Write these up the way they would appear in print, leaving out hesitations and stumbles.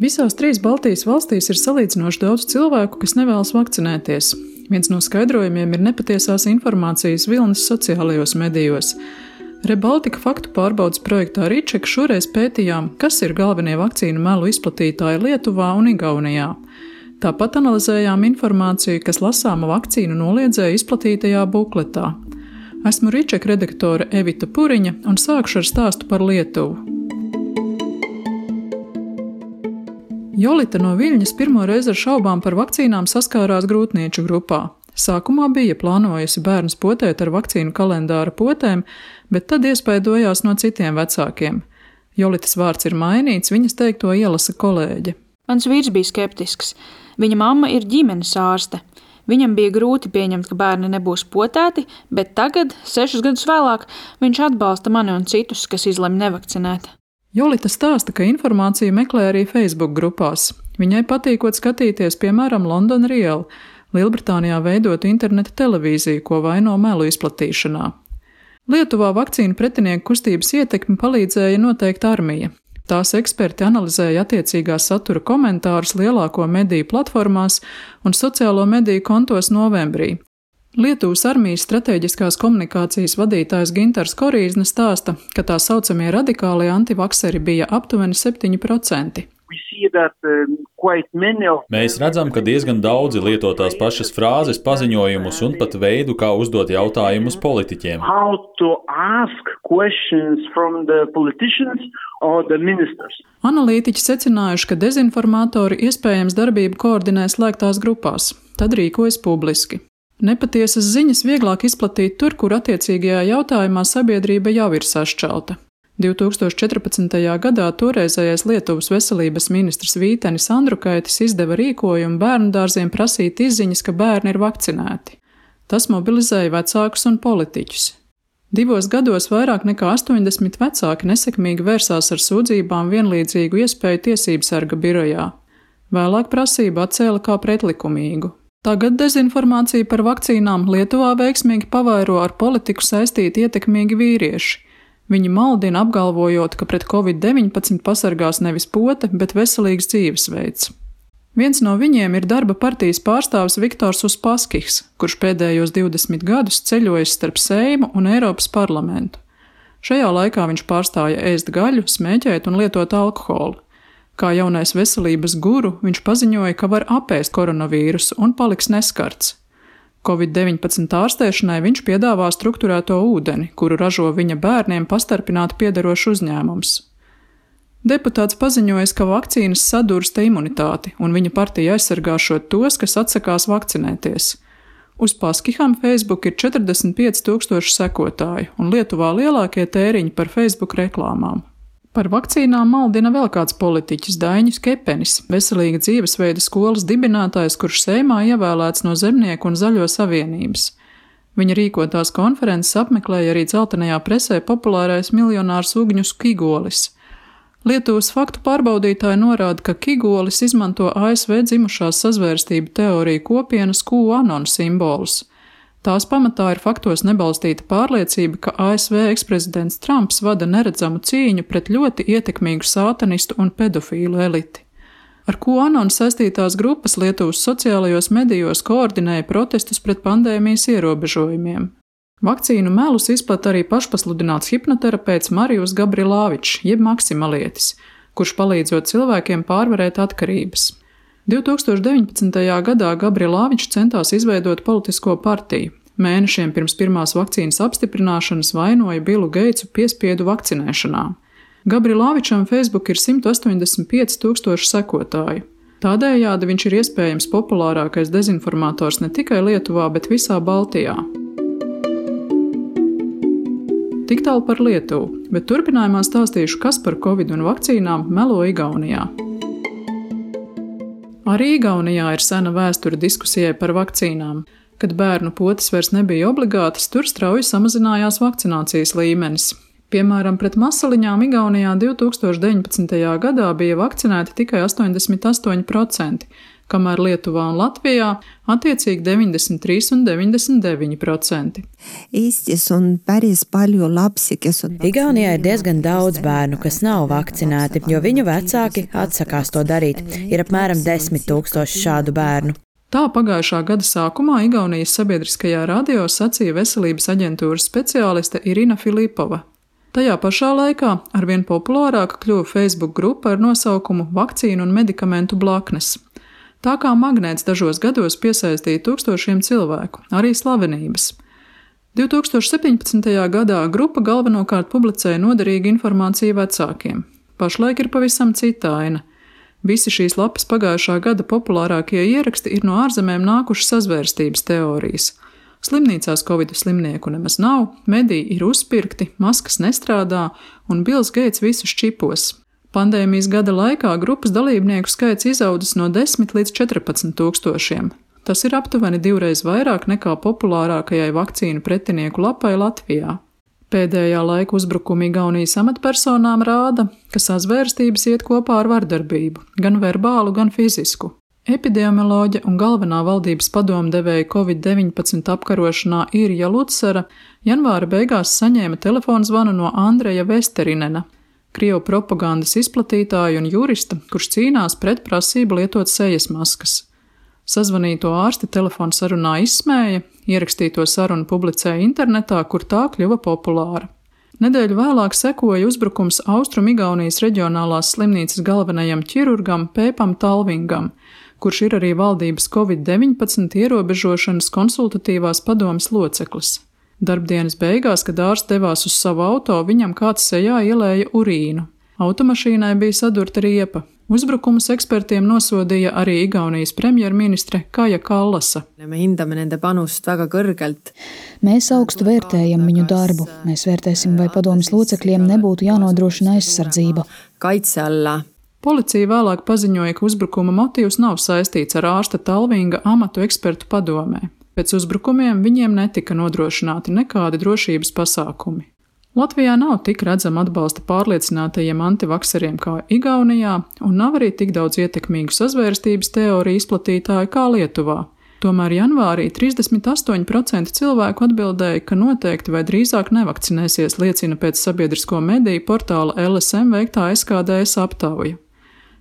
Visās 3 Baltijas valstīs ir salīdzinoši daudz cilvēku, kas nevēlas vakcinēties. Viens no skaidrojumiem ir nepatiesās informācijas vilnis sociālajos medijos. ReBaltica faktu pārbaudes projektā Ričeka šoreiz pētījām, kas ir galvenie vakcīnu melu izplatītāji Lietuvā un Igaunijā. Tāpat analizējām informāciju, kas lasāma vakcīnu noliedzēja izplatītajā bukletā. Esmu Ričeka redaktore Evita Puriņa un sākšu ar stāstu par Lietuvu. Jolita no Viļņas pirmo reizi ar šaubām par vakcīnām saskārās grūtnieču grupā. Sākumā bija plānojusi bērnus potēt ar vakcīnu kalendāra potēm, bet tad iespaidojās no citiem vecākiem. Jolitas vārds ir mainīts, viņas teikto ielasa kolēģe. Mans vīrs bija skeptisks. Viņa mamma ir ģimenes ārste. Viņam bija grūti pieņemt, ka bērni nebūs potēti, bet tagad, 6 gadus vēlāk, viņš atbalsta mani un citus, kas izlemj nevakcinēt. Jolita stāsta, ka informāciju meklē arī Facebook grupās. Viņai patīkot skatīties, piemēram, London Real, Lielbritānijā veidotu interneta televīziju, ko vaino melu izplatīšanā. Lietuvā vakcīnu pretinieku kustības ietekmi palīdzēja noteikt armija. Tās eksperti analizēja attiecīgā satura komentārus lielāko mediju platformās un sociālo mediju kontos novembrī. Lietuvas armijas stratēģiskās komunikācijas vadītājs Gintars Korīzne stāsta, ka tā saucamie radikālie antivakseri bija aptuveni 7%. Mēs redzam, ka diezgan daudzi lieto tās pašas frāzes, paziņojumus un pat veidu, kā uzdot jautājumus politiķiem. Analītiķi secinājuši, ka dezinformatori iespējams darbību koordinē slēgtās grupās, tad rīkojas publiski. Nepatiesas ziņas vieglāk izplatīt tur, kur attiecīgajā jautājumā sabiedrība jau ir sašķelta. 2014. gadā toreizējais Lietuvas veselības ministrs Vītenis Andrukaitis izdeva rīkojumu bērnudārziem prasīt izziņas, ka bērni ir vakcinēti. Tas mobilizēja vecākus un politiķus. 2 gados vairāk nekā 80 vecāki nesekmīgi vērsās ar sūdzībām vienlīdzīgu iespēju tiesību sarga birojā. Vēlāk prasību atcēla kā pretlikumīgu. Tagad dezinformācija par vakcīnām Lietuvā veiksmīgi pavairo ar politiku saistīti ietekmīgi vīrieši. Viņi maldina apgalvojot, ka pret Covid-19 pasargās nevis pote, bet veselīgs dzīvesveids. Viens no viņiem ir darba partijas pārstāvis Viktors Uspaskichs, kurš pēdējos 20 gadus ceļojis starp Seimu un Eiropas parlamentu. Šajā laikā viņš pārstāja ēst gaļu, smēķēt un lietot alkoholu. Kā jaunais veselības guru, viņš paziņoja, ka var apēst koronavīrusu un paliks neskarts. Covid-19 ārstēšanai viņš piedāvā strukturēto ūdeni, kuru ražo viņa bērniem pastarpināti piederošs uzņēmums. Deputāts paziņoja, ka vakcīnas sadursta imunitāti, un viņa partija aizsargāšot tos, kas atsakās vakcinēties. Uspaskicham Facebook ir 45,000 sekotāju, un Lietuvā lielākie tēriņi par Facebook reklāmām. Par vakcīnām maldina vēl kāds politiķis Daiņus Kepenis, veselīga dzīvesveida skolas dibinātājs, kurš Seimā ievēlēts no Zemnieku un Zaļo savienības. Viņa rīkotās konferences apmeklēja arī dzeltenajā presē populārais miljonārs Ugņus Kigolis. Lietuvas faktu pārbaudītāji norāda, ka Kigolis izmanto ASV dzimušās sazvērstību teoriju kopienas QAnon simbolus. Tās pamatā ir faktos nebalstīta pārliecība, ka ASV eksprezidents Trumps vada neredzamu cīņu pret ļoti ietekmīgu sātanistu un pedofīlu eliti. Ar QAnon saistītās grupas Lietuvas sociālajos medijos koordinēja protestus pret pandēmijas ierobežojumiem. Vakcīnu melus izplata arī pašpasludināts hipnoterapeits Marijus Gabrilāvičs, jeb maksimalietis, kurš palīdzot cilvēkiem pārvarēt atkarības. 2019. gadā Gabrilāvičs centās izveidot politisko partiju. Mēnešiem pirms pirmās vakcīnas apstiprināšanas vainoja Bilu Geitsu piespiedu vakcinēšanā. Gabrilāvičam Facebook ir 185,000 sekotāju. Tādējādi viņš ir iespējams populārākais dezinformators ne tikai Lietuvā, bet visā Baltijā. Tik tālu par Lietuvu, bet turpinājumā stāstīšu, kas par Covid un vakcīnām melo Igaunijā. Arī Igaunijā ir sena vēsture diskusijai par vakcīnām. Kad bērnu potes vairs nebija obligātas, tur strauji samazinājās vakcinācijas līmenis. Piemēram, pret masaliņām Igaunijā 2019. gadā bija vakcinēti tikai 88%, kamēr Lietuvā un Latvijā attiecīgi 93 un 99%. Igaunijā ir diezgan daudz bērnu, kas nav vakcinēti, jo viņu vecāki atsakās to darīt. Ir apmēram 10 000 šādu bērnu. Tā pagājušā gada sākumā Igaunijas sabiedriskajā radio sacīja veselības aģentūras speciāliste Irina Filipova. Tajā pašā laikā arvien populārāka kļuva Facebook grupa ar nosaukumu Vakcīnu un medikamentu blaknes. Tā kā magnēts dažos gados piesaistīja tūkstošiem cilvēku, arī slavenības. 2017. gadā grupa galvenokārt publicēja noderīgu informāciju vecākiem. Pašlaik ir pavisam cita aina. Visi šīs lapas pagājušā gada populārākie ieraksti ir no ārzemēm nākušas sazvērstības teorijas. Slimnīcās Covid slimnieku nemaz nav, mediji ir uzpirkti, maskas nestrādā un Bills Gates visus čipos. Pandēmijas gada laikā grupas dalībnieku skaits izaudzis no 10 līdz 14 000. Tas ir aptuveni 2 reizes vairāk nekā populārākajai vakcīnu pretinieku lapai Latvijā. Pēdējā laika uzbrukumi Igaunijas amatpersonām rāda, ka sazvērstības iet kopā ar vardarbību, gan verbālu, gan fizisku. Epidemioloģe un galvenā valdības padomdevēja Covid-19 apkarošanā Irja Lutsara janvāra beigās saņēma telefonzvanu no Andreja Vesterinena, Krievu propagandas izplatītāja un jurista, kurš cīnās pret prasību lietot sejas maskas. Sazvanīto ārsti telefona sarunā izsmēja, ierakstīto sarunu publicēja internetā, kur tā kļuva populāra. Nedēļu vēlāk sekoja uzbrukums Austrum-Igaunijas reģionālās slimnīcas galvenajam ķirurgam Pēpam Talvingam, kurš ir arī valdības Covid-19 ierobežošanas konsultatīvās padomes loceklis. Darbdienas beigās, kad ārsts devās uz savu auto, viņam kāds sejā ielēja urīnu. Automašīnai bija sadurta riepa. Uzbrukumus ekspertiem nosodīja arī Igaunijas premjerministre Kaja Kallasa. Mēs augstu vērtējam viņu darbu. Mēs vērtēsim, vai padomes locekļiem nebūtu jānodrošina aizsardzība. Policija vēlāk paziņoja, ka uzbrukuma motīvs nav saistīts ar ārsta Talvinga amatu ekspertu padomē. Pēc uzbrukumiem viņiem netika nodrošināti nekādi drošības pasākumi. Latvijā nav tik redzama atbalsta pārliecinātajiem antivakseriem kā Igaunijā, un nav arī tik daudz ietekmīgu sazvērstības teoriju izplatītāju kā Lietuvā. Tomēr janvārī 38% cilvēku atbildēja, ka noteikti vai drīzāk nevakcinēsies, liecina pēc sabiedrisko mediju portāla LSM veiktā SKDS aptauja.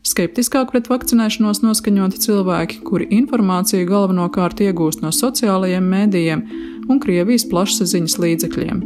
Skeptiskāk pret vakcinēšanos noskaņoti cilvēki, kuri informāciju galvenokārt iegūst no sociālajiem mēdījiem un Krievijas plašsaziņas līdzekļiem.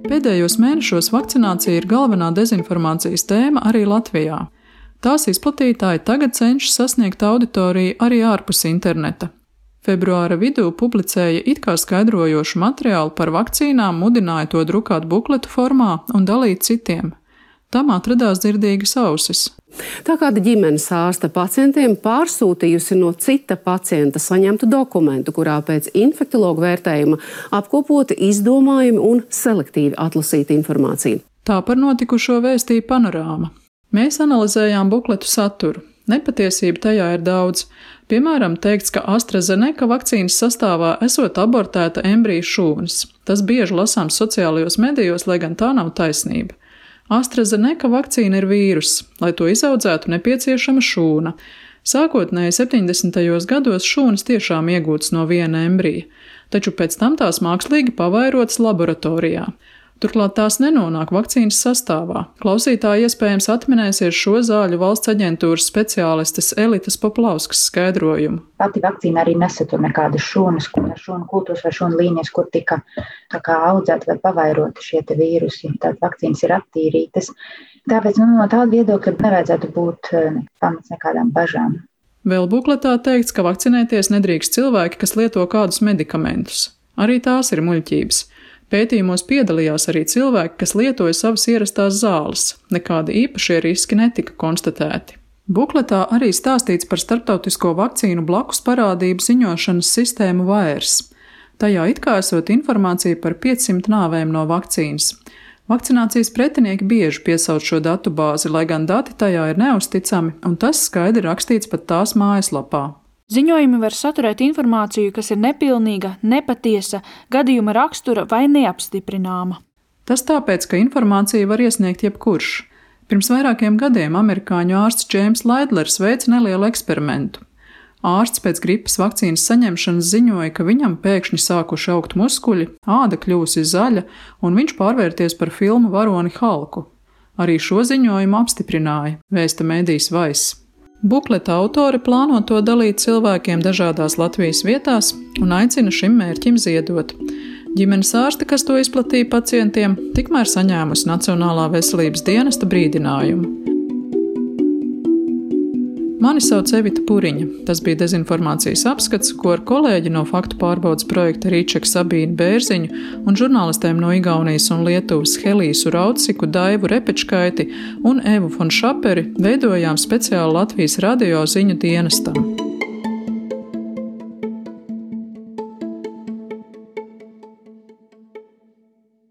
Pēdējos mēnešos vakcinācija ir galvenā dezinformācijas tēma arī Latvijā. Tās izplatītāji tagad cenšas sasniegt auditoriju arī ārpus interneta. Februāra vidū publicēja it kā skaidrojošu materiālu par vakcīnām, mudināja to drukāt bukletu formā un dalīt citiem. Tam atradās dzirdīgas ausis. Tā kāda ģimenes ārsta pacientiem pārsūtījusi no cita pacienta saņemtu dokumentu, kurā pēc infektologa vērtējuma apkopoti izdomājumi un selektīvi atlasīta informācija. Tā par notikušo vēstīja Panorāma. Mēs analizējām bukletu saturu. Nepatiesība tajā ir daudz. Piemēram, teikts, ka AstraZeneca vakcīnas sastāvā esot abortēta embriju šūnas. Tas bieži lasāms sociālajos medijos, lai gan tā nav taisnība. AstraZeneca vakcīna ir vīruss. Lai to izaudzētu, nepieciešama šūna. Sākotnēji 70. gados šūnas tiešām iegūtas no viena embrija, taču pēc tam tās mākslīgi pavairotas laboratorijā. Turklāt tās nenonāk vakcīnas sastāvā. Klausītāji iespējams atminēsies šo zāļu valsts aģentūras speciālistes Elitas Poplauskas skaidrojumu. Pati vakcīna arī nesatur nekādas šūnas, šūnu kultūras vai šūnu līnijas, kur tika audzēti vai pavairoti šie vīrusi. Tātad vakcīnas ir attīrītas. Tāpēc no tāda viedokļa nevajadzētu būt pamats nekādām bažām. Vēl bukletā teikts, ka vakcinēties nedrīkst cilvēki, kas lieto kādus medikamentus. Arī tās ir muļķības. Pētījumos piedalījās arī cilvēki, kas lietoja savas ierastās zāles. Nekādi īpašie riski netika konstatēti. Bukletā arī stāstīts par starptautisko vakcīnu blakus parādību ziņošanas sistēmu VAERS. Tajā it kā esot informācija par 500 nāvēm no vakcīnas. Vakcinācijas pretinieki bieži piesauc šo datu bāzi, lai gan dati tajā ir neusticami, un tas skaidri rakstīts pat tās mājaslapā. Ziņojumi var saturēt informāciju, kas ir nepilnīga, nepatiesa, gadījuma rakstura vai neapstiprināma. Tas tāpēc, ka informāciju var iesniegt jebkurš. Pirms vairākiem gadiem amerikāņu ārsts Džeims Laidlers veica nelielu eksperimentu. Ārsts pēc gripas vakcīnas saņemšanas ziņoja, ka viņam pēkšņi sākuši augt muskuļi, āda kļūsi zaļa un viņš pārvērties par filmu varoni Halku. Arī šo ziņojumu apstiprināja, vēsta mēdījis Vice. Bukleta autori plāno to dalīt cilvēkiem dažādās Latvijas vietās un aicina šim mērķim ziedot. Ģimenes ārste, kas to izplatīja pacientiem, tikmēr saņēmusi Nacionālā veselības dienesta brīdinājumu. Mani sauc Evita Puriņa. Tas bija dezinformācijas apskats, ko ar kolēģi no faktu pārbaudes projekta Rīčeka Sabīnu Bērziņu un žurnālistēm no Igaunijas un Lietuvas Helīsu Rauciku, Daivu Repečkaiti un Evu Fon Šaperi veidojām speciāli Latvijas radio ziņu dienestam.